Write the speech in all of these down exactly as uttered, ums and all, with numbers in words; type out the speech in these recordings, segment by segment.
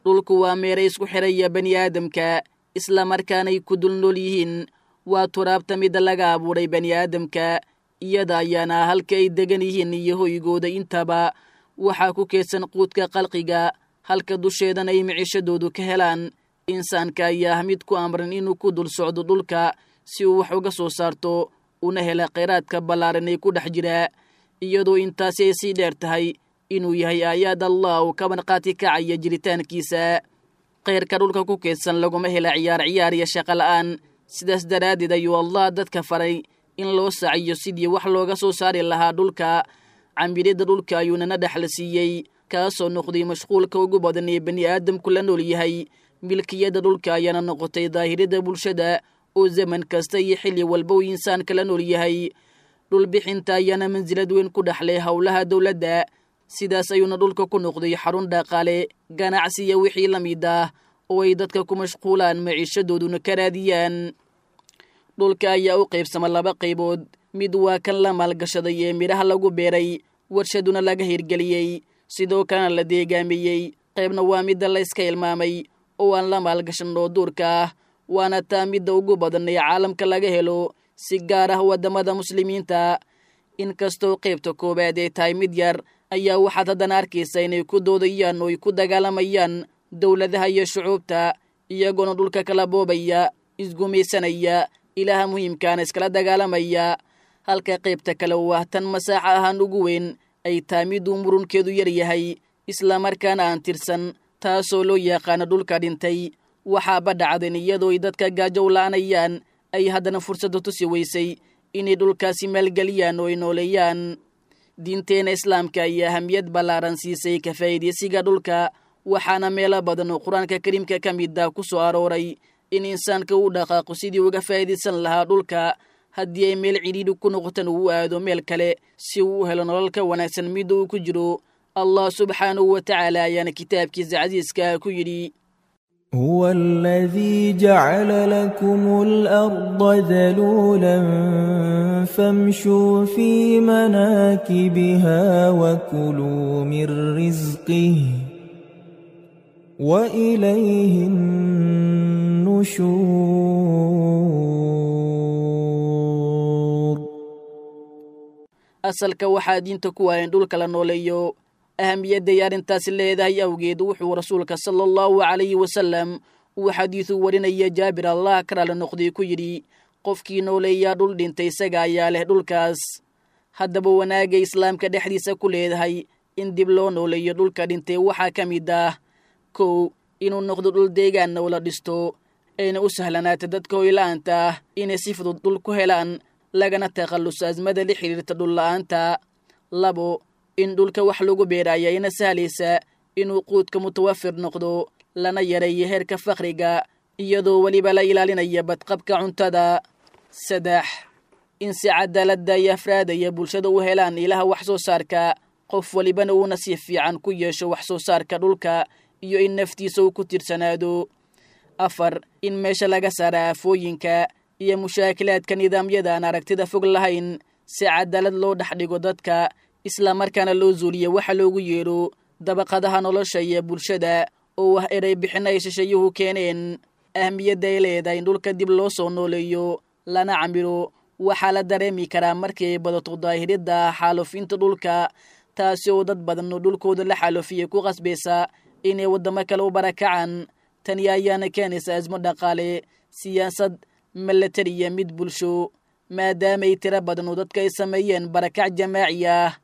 Dhulku waa meeray isku xidhaya bani aadamka, islamarkaanay ku dul nool yihiin. Waa turaabta midda laga abuuray bani aadamka, iyada ayaana halka ay degan yihiin iyo hoygooda intaba. Waxaa ku keedsan quudka qalqiga, halka dusheedana ay micishadoodu ka helaan. Insaanka ayaa ah mid ku amran inuu ku dul socdo dhulka si uu wax uga soo saarto una hela kheyraadka ballaaran ee ku dhex jira, iyadoo intaasi ay sii dheer tahay inuu yahay aayaad Allah oo ka marqaati kacaya jiritaankiisa. Khayrka dhulka ku keedsan laguma hela ciyaar ciyaar iyo shaqo la'aan. Sidaas daraaddeed ayuu Allah dadka faray in loo saciyo sidii wax looga soo saari lahaa dhulka. Camiridda dhulka ayuunana dhexla siiyey, kaasoo noqday mashquulka ugu badan ee bani aadamku la nool yahay. Milkiyadda dhulka ayaana noqotay daahiridda bulshada oo zaman kasta iyo xilli walba uu insaanka la nool yahay. Dhulbixinta ayaana mansilad weyn ku dhexlay howlaha dowladda. Sidaas ayuuna dhulka ku noqday xarun dhaqaale, ganacsi iyo wixii la mid ah oo ay dadka ku mashquulaan, maciishadooduna ka raadiyaan. Dhulka ayaa u qaybsama laba qaybood. Mid waa kan la maalgashaday ee midhaha lagu beeray, warshaduna laga hirgeliyey, sidoo kalena la deegaameeyey. Qaybna waa midda la iska ilmaamay oo aan la maalgashan oo duurka ah, waana taa midda ugu badan ee caalamka laga helo, si gaar ah waddamada muslimiinta. Inkastoo qaybta koowaad ay tahay mid yar, ayaa waxaad haddana arkaysa inay ku doodayaan oo ay ku dagaalamayaan dowladaha iyo shucuubta, iyagoona dhulka kala boobaya, isgumaysanaya, ilaha muhiimkaana iskala dagaalamaya. Halka qaybta kale oo ah tan masaaxa ahaan ugu weyn ay tahay miduu murunkeedu yar yahay, islamarkaana aan tirsan, taasoo loo yaqaano dhulka dhintay. Waxaaba dhacdeen iyadoo ay dadka gaajo u la'anayaan ay haddana fursadda tusi weysay inay dhulkaasi maalgeliyaan oo ay nooleeyaan. Diinteena islaamka ayaa ahamiyad ballaaran siisay ka faa'iidaysiga dhulka, waxaana meelo badan oo Qur-aanka kariimka ka mid ah ku soo arooray in insaanka uu dhaqaaqo sidii uga faa'iidaysan lahaa dhulka, haddii ay meel cidhiidhi ku noqotan uu aado meel kale si uu u helo nolol ka wanaagsan midda uu ku jiro. Allah subxaanahu wa tacaala ayaana kitaabkiisa casiiska ku yidhi: هو الذي جعل لكم الأرض ذلولا فامشوا في مناكبها وكلوا من رزقه وإليه النشور. Asalka waxaa diinta ku waayan dhulka la nooleeyo. Ahamiyadday arrintaasi leedahay awgeed, wuxuu rasuulka sala allahu calayhi wasalam uu xadiisu warinaya Jaabir, Allah ka raali noqday, ku yidhi: qofkii nooleeyaa dhul dhintay, isaga ayaa leh dhulkaas. Haddaba wanaagga islaamka dhexdiisa ku leedahay in dib loo nooleeyo dhulka dhintay waxaa ka mid ah: kow, inuu noqdo dhul deegaanna oo la dhisto, ayna u sahlanaata dadka hoyla-aanta ah inay si fudud dhul ku helaan, lagana takhalluso asmada la xidhiirta dhul la'aanta. Labo, in dhulka wax lagu beera ayaa ina sahlaysa inuu quudka mutawafir noqdo, lana yareeyo heerka fakhriga, iyadoo weliba la ilaalinaya badqabka cuntada. Saddex, in si cadaaladda iyo afraadaya bulshada u helaan ilaha wax soo saarka, qof walibana uu nasiib fiican ku yeesho wax soo saarka dhulka iyo in naftiisa uu ku tiirsanaado. Afar, in meesha laga saara aafooyinka iyo mushaakilaadka nidaamyada aan aragtida fog lahayn, si cadaalad loo dhex dhigo dadka, islamarkaana loo zuuliyo waxa loogu yeedho dabaqadaha nolosha iyo bulshada oo ah erey bixin ay shisheeyuhu keeneen. Ahmiyadda ay leedahay in dhulka dib loo soo nooleeyo lana camiro waxaa la dareemi karaa markii ay badato daahiridda xaalufinta dhulka, taasi oo dad badan oo dhulkooda la xaalufiyey ku qasbaysa inay waddamo kale u barakacaan. Tani ayaana keenaysa asmo dhaqaale, siyaasad, milatari iyo mid bulsho, maadaamay tiro badan oo dadka ay sameeyeen barakac jamaaci ah.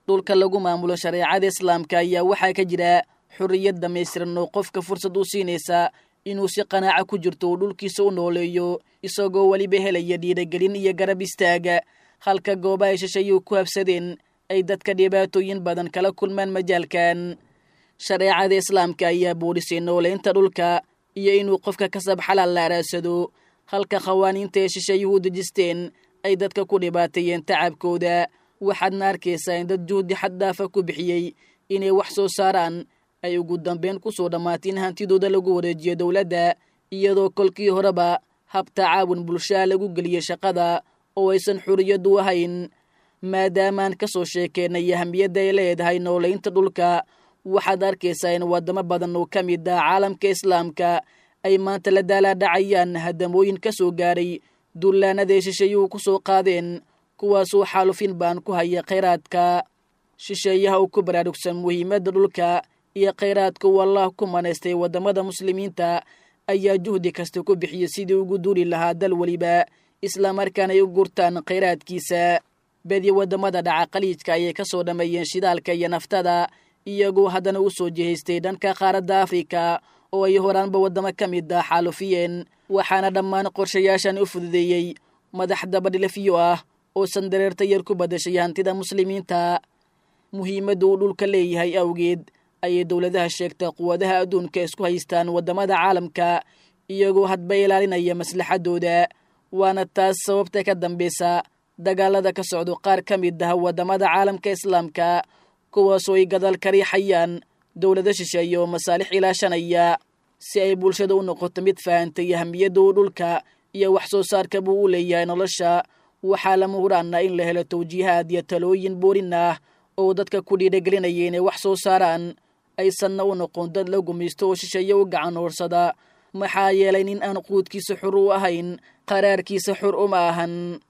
Dhulka lagu maamulo shareecada islaamka ayaa waxaa ka jira xorriyad dhammaystiran oo qofka fursad u siinaysa inuu si qanaaca ku jirto uu dhulkiisa u nooleeyo, isagoo weliba helaya dhiiragelin iyo garab istaaga, halka goobaha ay shisheeyuhu ku habsadeen ay dadka dhibaatooyin badan kala kulmaan majaalkan. Shareecada islaamka ayaa boodhisay nooleynta dhulka iyo inuu qofka kasab xalaal la araadsado, halka khawaaniinta ay shisheeyuhu dejisteen ay dadka ku dhibaateeyeen tacabkooda. Waxaadna arkaysaa in dad juhdi xaddaafa ku bixiyey inay wax soo saaraan ay ugu dambeyn ku soo dhammaatay in hantidooda lagu wareejiyo dowladda, iyadoo kolkii horeba hab tacaawun bulshaha lagu geliyey shaqada oo aysan xuriyaddu ahayn. Maadaamaan ka soo sheekeynay ahamiyadda ay leedahay nooleynta dhulka, Waxaad arkaysaa in waddamo badan oo ka mid ah caalamka islaamka ay maanta la daalaadhacayaan hadamooyin ka soo gaadhay duulaanadaay shisheeyuhu ku soo qaadeen, kuwaasoo xaalufin baan ku haya khayraadka. Shisheeyaha uu ku baraarugsan muhiimadda dhulka iyo khayraadka uu Allah ku manaystay waddamada muslimiinta ayaa juhdi kasta ku bixiyey sidii ugu duuli lahaa dal weliba, islamarkaana ay u gurtaan khayraadkiisa. Badi waddamada dhaca Khaliijka ayay ka soo dhammeeyeen shidaalka iyo naftada, iyagoo haddana u soo jihaystay dhanka qaaradda Afrika oo ay horaanba waddamo ka mid ah xaalufiyeen. Waxaana dhammaan qorshayaashan u fududeeyey madax dabadhilafiyo ah oo sandareerta yar ku badashay hantida muslimiinta. Muhiimadda uu dhulka leeyahay awgeed ayay dowladaha sheegta quwadaha adduunka isku haystaan waddamada caalamka, iyagoo hadba ilaalinaya maslaxadooda. Waana taas sababta ka dambaysa dagaalada ka socdo qaar ka mid ah waddamada caalamka islaamka, kuwaasoo ay gadaal ka riixayaan dowlado shisheeye oo masaalix ilaashanaya. Si ay bulshada u noqoto mid fahantay ahamiyadda uu dhulka iyo wax soo saarka buu u leeyahay nolosha, waxaa lama huraana in la helo tawjiihaad iyo talooyin boorin ah oo dadka ku dhiiragelinaya inay wax soo saaraan, aysanna u noqon dad la gumaysto oo shisheeye u gacan hoorsada. Maxaa yeelay nin aan quudkiisa xur u ahayn qaraarkiisa xur uma ahan.